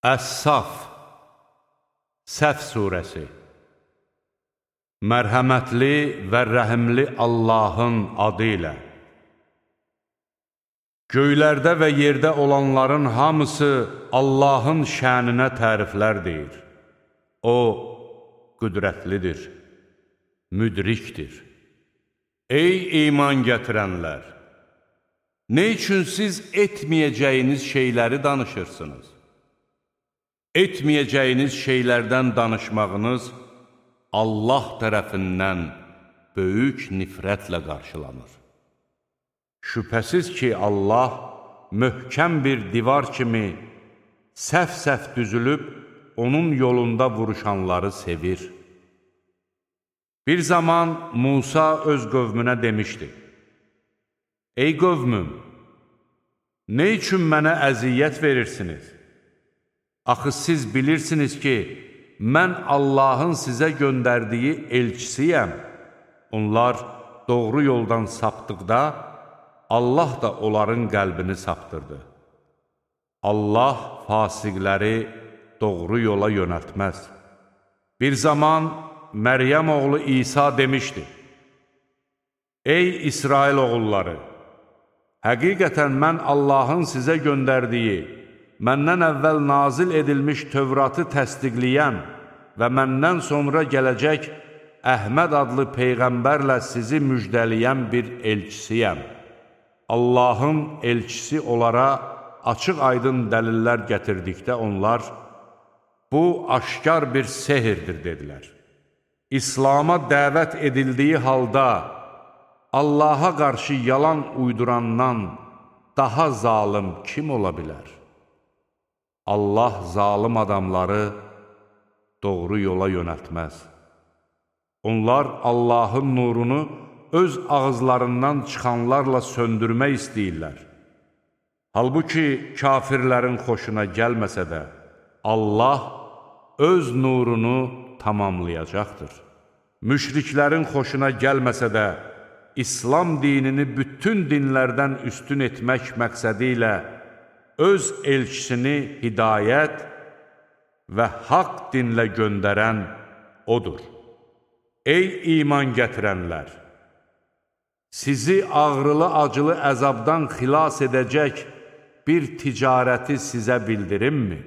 Əs-Saf Səf surəsi Mərhəmətli və rəhimli Allahın adı ilə Göylərdə və yerdə olanların hamısı Allahın şəninə təriflər deyir. O, qüdrətlidir, müdrikdir. Ey iman gətirənlər! Nə üçün siz etməyəcəyiniz şeyləri danışırsınız? Etməyəcəyiniz şeylərdən danışmağınız Allah tərəfindən böyük nifrətlə qarşılanır. Şübhəsiz ki, Allah möhkəm bir divar kimi səf-səf düzülüb, onun yolunda vuruşanları sevir. Bir zaman Musa öz qövmünə demişdi: Ey qövmüm, nə üçün mənə əziyyət verirsiniz? Axı siz bilirsiniz ki, mən Allahın sizə göndərdiyi elçisiyəm. Onlar doğru yoldan sapdıqda, Allah da onların qəlbini saptırdı. Allah fasiqləri doğru yola yönəltməz. Bir zaman Məryəm oğlu İsa demişdi: Ey İsrail oğulları! Həqiqətən mən Allahın sizə göndərdiyi, məndən əvvəl nazil edilmiş Tövratı təsdiqləyən və məndən sonra gələcək Əhməd adlı Peyğəmbərlə sizi müjdələyən bir elçisiyəm. Allahın elçisi onlara açıq-aydın dəlillər gətirdikdə onlar, bu aşkar bir sehirdir, dedilər. İslama dəvət edildiyi halda, Allaha qarşı yalan uydurandan daha zalım kim ola bilər? Allah zalım adamları doğru yola yönəltməz. Onlar Allahın nurunu öz ağızlarından çıxanlarla söndürmək istəyirlər. Halbuki kafirlərin xoşuna gəlməsə də, Allah öz nurunu tamamlayacaqdır. Müşriklərin xoşuna gəlməsə də, İslam dinini bütün dinlərdən üstün etmək məqsədi ilə öz elçisini hidayət və haqq dinlə göndərən odur. Ey iman gətirənlər! Sizi ağrılı-acılı əzabdan xilas edəcək bir ticarəti sizə bildirimmi?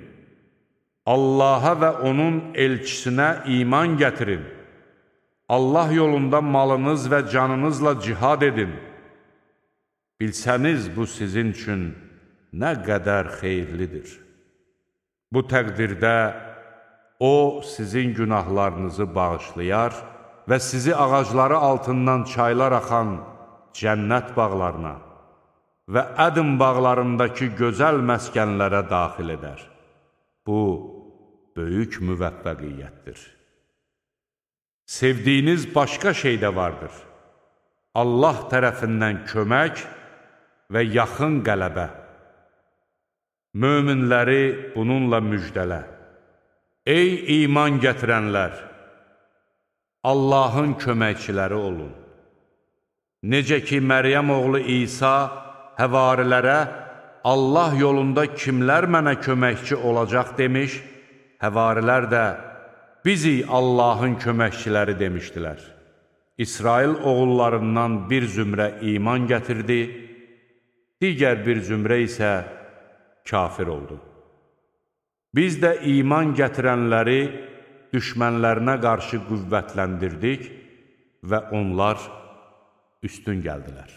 Allaha və onun elçisinə iman gətirin. Allah yolunda malınız və canınızla cihad edin. Bilsəniz bu sizin üçün nə qədər xeyirlidir. Bu təqdirdə O, sizin günahlarınızı bağışlayar və sizi ağacları altından çaylar axan cənnət bağlarına və Ədm bağlarındakı gözəl məskənlərə daxil edər. Bu, böyük müvəffəqiyyətdir. Sevdiyiniz başqa şey də vardır. Allah tərəfindən kömək və yaxın qələbə. Möminləri bununla müjdələ. Ey iman gətirənlər! Allahın köməkçiləri olun. Necə ki, Məryəm oğlu İsa həvarilərə Allah yolunda kimlər mənə köməkçi olacaq demiş, həvarilər də bizik Allahın köməkçiləri demişdilər. İsrail oğullarından bir zümrə iman gətirdi, digər bir zümrə isə kafir oldu. Biz də iman gətirənləri düşmənlərinə qarşı qüvvətləndirdik və onlar üstün gəldilər.